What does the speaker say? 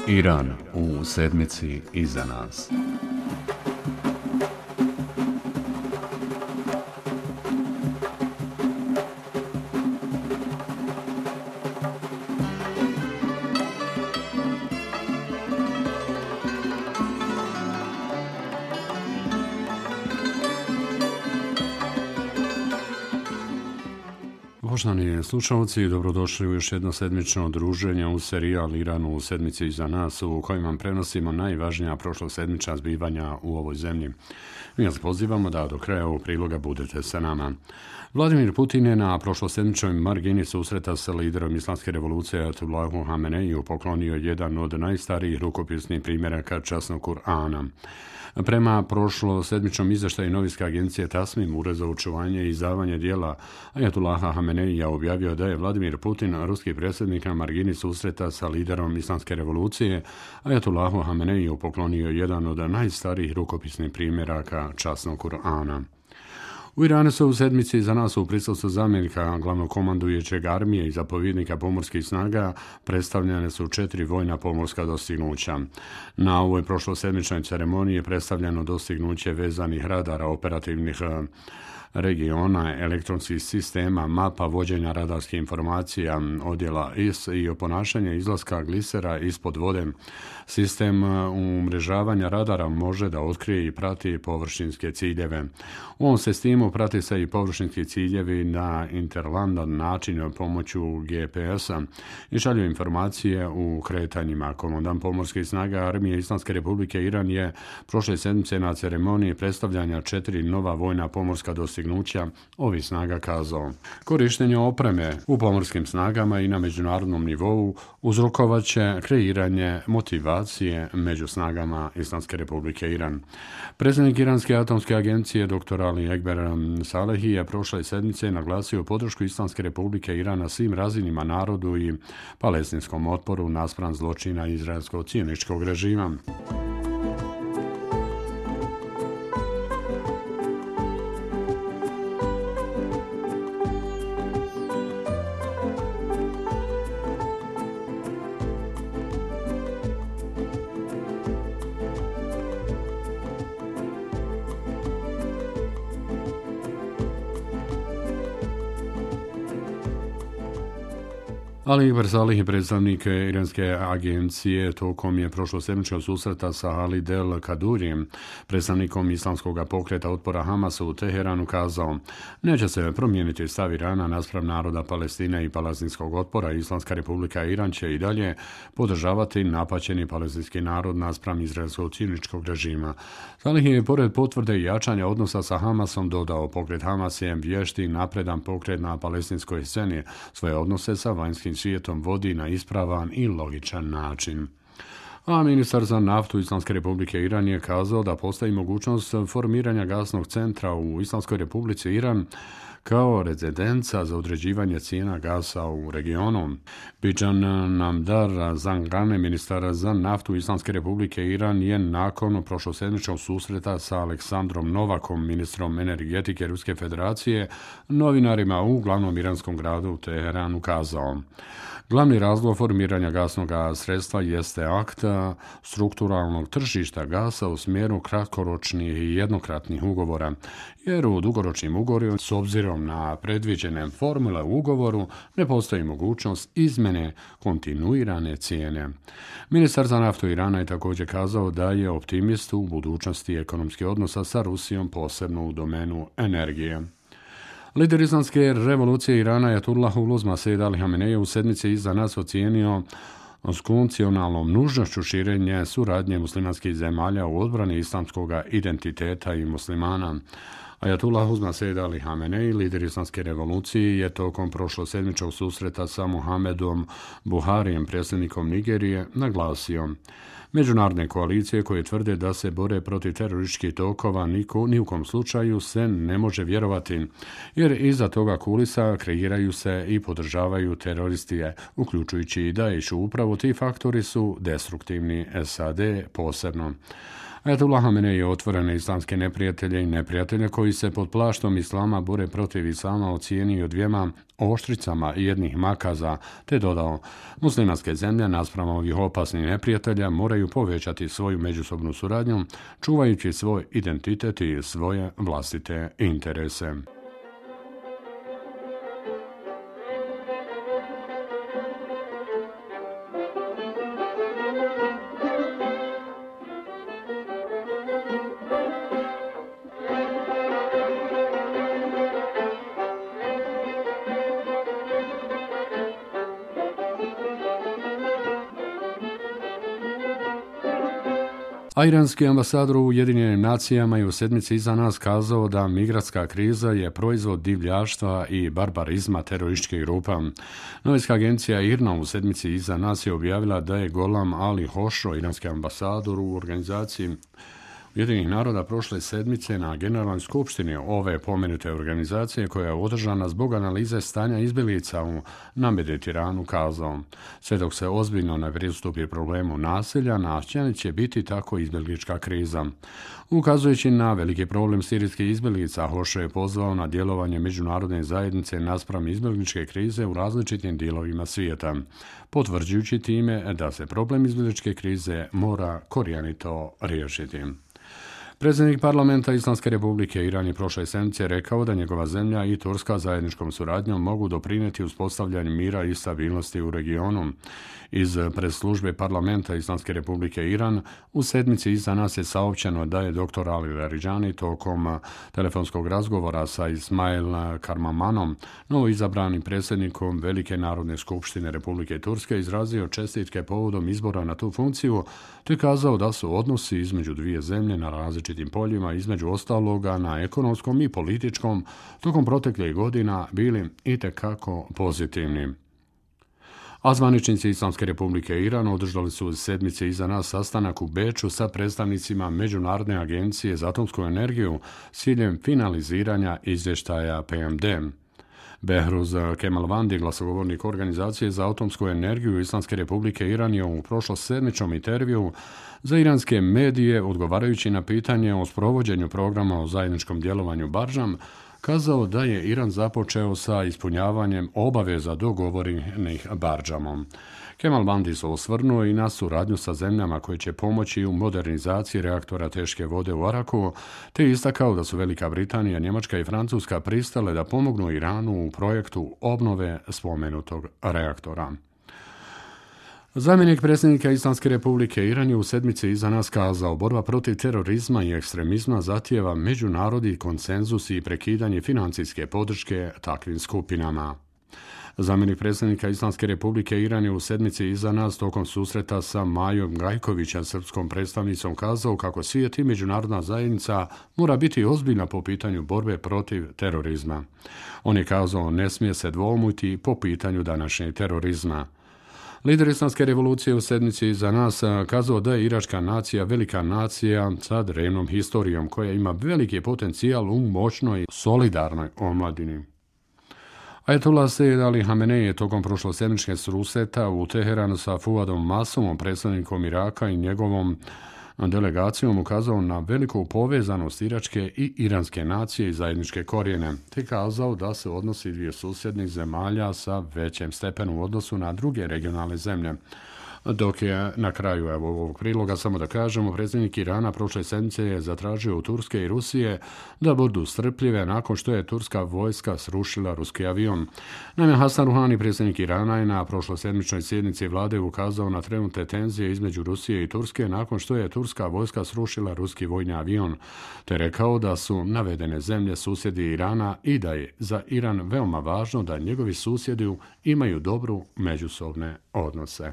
Iran u sedmici iza nas. Poštovani slušalci, dobrodošli u još jedno sedmično druženje u serijal Iran u sedmici iza nas, u kojem vam prenosimo najvažnija prošlosedmična zbivanja u ovoj zemlji. Mi vas pozivamo da do kraja ovog priloga budete sa nama. Vladimir Putin je na prošlosedmičnoj margini susreta sa liderom Islamske revolucije Ajatullahu Hameneiju poklonio jedan od najstarijih rukopisnih primjeraka časnog Kur'ana. Prema prošlosedmičnom izveštaju novinske agencije Tasnim, Ured za očuvanje i izdavanje dijela Ajatullaha Hameneija objavio da je Vladimir Putin, ruski predsjednik, na margini susreta sa liderom Islamske revolucije Ajatullahu Hameneiju poklonio jedan od najstarijih rukopisnih primjeraka časnog Kur'ana. U Iranu su u sedmici za nas u prisustvu zamjenika glavnog komandujućeg armije i zapovjednika pomorskih snaga predstavljene su 4 vojna pomorska dostignuća. Na ovoj prošlosedmičnoj ceremoniji predstavljeno dostignuće vezanih radara operativnih regiona, elektronskih sistema, mapa vođenja radarskih informacija, odjela IS i oponašanje izlaska glisera ispod vode. Sistem umrežavanja radara može da otkrije i prati površinske ciljeve. U ovom sistemu prati se i površinski ciljevi na interlandan način pomoću GPS-a i šalju informacije u kretanjima. Komandant pomorskih snaga Armije Islamske Republike Iran je prošle sedmice na ceremoniji predstavljanja 4 nova vojna pomorska dostignuća ovih snaga kazao: korištenje opreme u pomorskim snagama i na međunarodnom nivou uzrokovaće kreiranje motivacije među snagama Islamske Republike Iran. Predsjednik Iranske atomske agencije dr. Ali Ekber Salehi je prošle sedmice naglasio podršku Islamske Republike Iran na svim razinima narodu i palestinskom otporu naspram zločina izraelsko-cijoničkog režima. Ali Ekber Salih, predstavnik Iranske agencije, tokom je prošlosedmičkog susreta sa Ali Del Kadurijem, predstavnikom islamskog pokreta otpora Hamasa u Teheranu, kazao: neće se promijeniti stav Irana naspram naroda Palestine i palestinskog otpora. Islamska Republika Iran će i dalje podržavati napaćeni palestinski narod naspram izraelsko-cijoničkog režima. Salih je pored potvrde i jačanja odnosa sa Hamasom dodao: pokret Hamas je vješti napredan pokret na palestinskoj sceni, svoje odnose sa vanjskim svijetom vodi na ispravan i logičan način. A ministar za naftu Islamske Republike Iran je kazao da postoji mogućnost formiranja gasnog centra u Islamskoj Republici Iran kao rezidenca za određivanje cijena gasa u regionu. Bijan Namdar Zangane, ministar za naftu Islamske Republike Iran, je nakon prošlosedmičnog susreta sa Aleksandrom Novakom, ministrom energetike Ruske federacije, novinarima u glavnom iranskom gradu Teheranu kazao: glavni razlog formiranja gasnog sredstva jeste akt strukturalnog tržišta gasa u smjeru kratkoročnih i jednokratnih ugovora, jer u dugoročnim ugovorima, s obzirom na predviđene formule u ugovoru, ne postoji mogućnost izmjene kontinuirane cijene. Ministar za naftu Irana je također kazao da je optimist u budućnosti ekonomskih odnosa sa Rusijom, posebno u domenu energije. Lider Islamske revolucije Irana Ajatullah Said Ali Hamenei u sedmici iza nas ocijenio s konvencionalnom nužnošću širenja suradnje muslimanskih zemalja u odbrani islamskog identiteta i muslimana. Ajatullah Said Ali Hamenei, lider Islamske revolucije, je tokom prošlosedmičkog susreta sa Muhammedom Buharijem, predsjednikom Nigerije, naglasio: međunarodne koalicije koje tvrde da se bore protiv terorističkih tokova ni u kom slučaju se ne može vjerovati, jer iza toga kulisa kreiraju se i podržavaju teroristi, uključujući i Daesh. Upravo ti faktori su destruktivni, SAD posebno. Ajatullah Hamenei otvorene islamske neprijatelje i neprijatelje koji se pod plaštom islama bore protiv islama ocijenio dvijema oštricama i jednih makaza, te dodao, muslimanske zemlje naspram ovih opasnih neprijatelja moraju povećati svoju međusobnu suradnju, čuvajući svoj identitet i svoje vlastite interese. A iranski ambasador u Ujedinjenim nacijama je u sedmici iza nas kazao da migrantska kriza je proizvod divljaštva i barbarizma terorističkih grupa. Novinska agencija IRNA u sedmici iza nas je objavila da je Golam Ali Hošro, iranski ambasador u organizaciji Ujedinjenih naroda prošle sedmice na Generalnoj skupštini ove pomenute organizacije koja je održana zbog analize stanja izbjeglica na Mediteranu kazao. Sve dok se ozbiljno ne pristupi problemu nasilja, nastavljen će biti tako izbjeglička kriza. Ukazujući na veliki problem sirijskih izbjeglica, Hošo je pozvao na djelovanje međunarodne zajednice naspram izbjegličke krize u različitim dijelovima svijeta, potvrđujući time da se problem izbjegličke krize mora korijenito riješiti. Predsjednik parlamenta Islamske republike Iran je prošle sedmice rekao da njegova zemlja i Turska zajedničkom suradnjom mogu doprinijeti uspostavljanju mira i stabilnosti u regionu. Iz predslužbe parlamenta Islamske republike Iran u sedmici iza nas je saopćeno da je dr. Ali Larijani tokom telefonskog razgovora sa Ismail Karmamanom, novoizabranim predsjednikom Velike narodne skupštine Republike Turske, izrazio čestitke povodom izbora na tu funkciju, te kazao da su odnosi između dvije zemlje na različitim poljima, između ostaloga na ekonomskom i političkom, tokom proteklih godina bili itekako pozitivni. A zvaničnici Islamske republike Iran održali su sedmice iza nas sastanak u Beču sa predstavnicima Međunarodne agencije za atomsku energiju s ciljem finaliziranja izvještaja PMD. Behruz Kemalvandi, glasogovornik Organizacije za atomsku energiju Islamske republike Iran, je u prošlosedmičnom intervjuu za iranske medije, odgovarajući na pitanje o sprovođenju programa o zajedničkom djelovanju Bardžam, kazao da je Iran započeo sa ispunjavanjem obaveza dogovorenih Bardžamom. Kemalvandi se osvrnuo i na suradnju sa zemljama koje će pomoći u modernizaciji reaktora teške vode u Araku, te istakao da su Velika Britanija, Njemačka i Francuska pristale da pomognu Iranu u projektu obnove spomenutog reaktora. Zamjenik predsjednika Islamske republike Iran je u sedmici iza nas kazao: borba protiv terorizma i ekstremizma zahtijeva međunarodni konsenzus i prekidanje financijske podrške takvim skupinama. Zamjenik predsjednika Islamske republike Iran je u sedmici iza nas tokom susreta sa Majom Gajkovićem, srpskom predstavnicom, kazao kako svijet i međunarodna zajednica mora biti ozbiljna po pitanju borbe protiv terorizma. On je kazao: ne smije se dvoumiti po pitanju današnjeg terorizma. Lider Islamske revolucije u sedmici iza nas kazao da je iračka nacija velika nacija sa drevnom historijom koja ima veliki potencijal u moćnoj, solidarnoj omladini. Ajatullah Sejed Ali Hamenei je tokom prošlosedmičke susreta u Teheranu sa Fuadom Masumom, predstavnikom Iraka, i njegovom delegacijom ukazao na veliku povezanost iračke i iranske nacije i zajedničke korijene, te kazao da se odnosi dvije susjednih zemalja sa većem stepenu u odnosu na druge regionalne zemlje. Dok je na kraju ovog priloga samo da kažemo, predsjednik Irana prošle sedmice je zatražio od Turske i Rusije da budu strpljive nakon što je turska vojska srušila ruski avion. Naime, Hasan Ruhani, predsjednik Irana, je na prošlosedmičnoj sjednici vlade ukazao na trenutne tenzije između Rusije i Turske nakon što je turska vojska srušila ruski vojni avion, te rekao da su navedene zemlje susjedi Irana i da je za Iran veoma važno da njegovi susjedi imaju dobru međusobne odnose.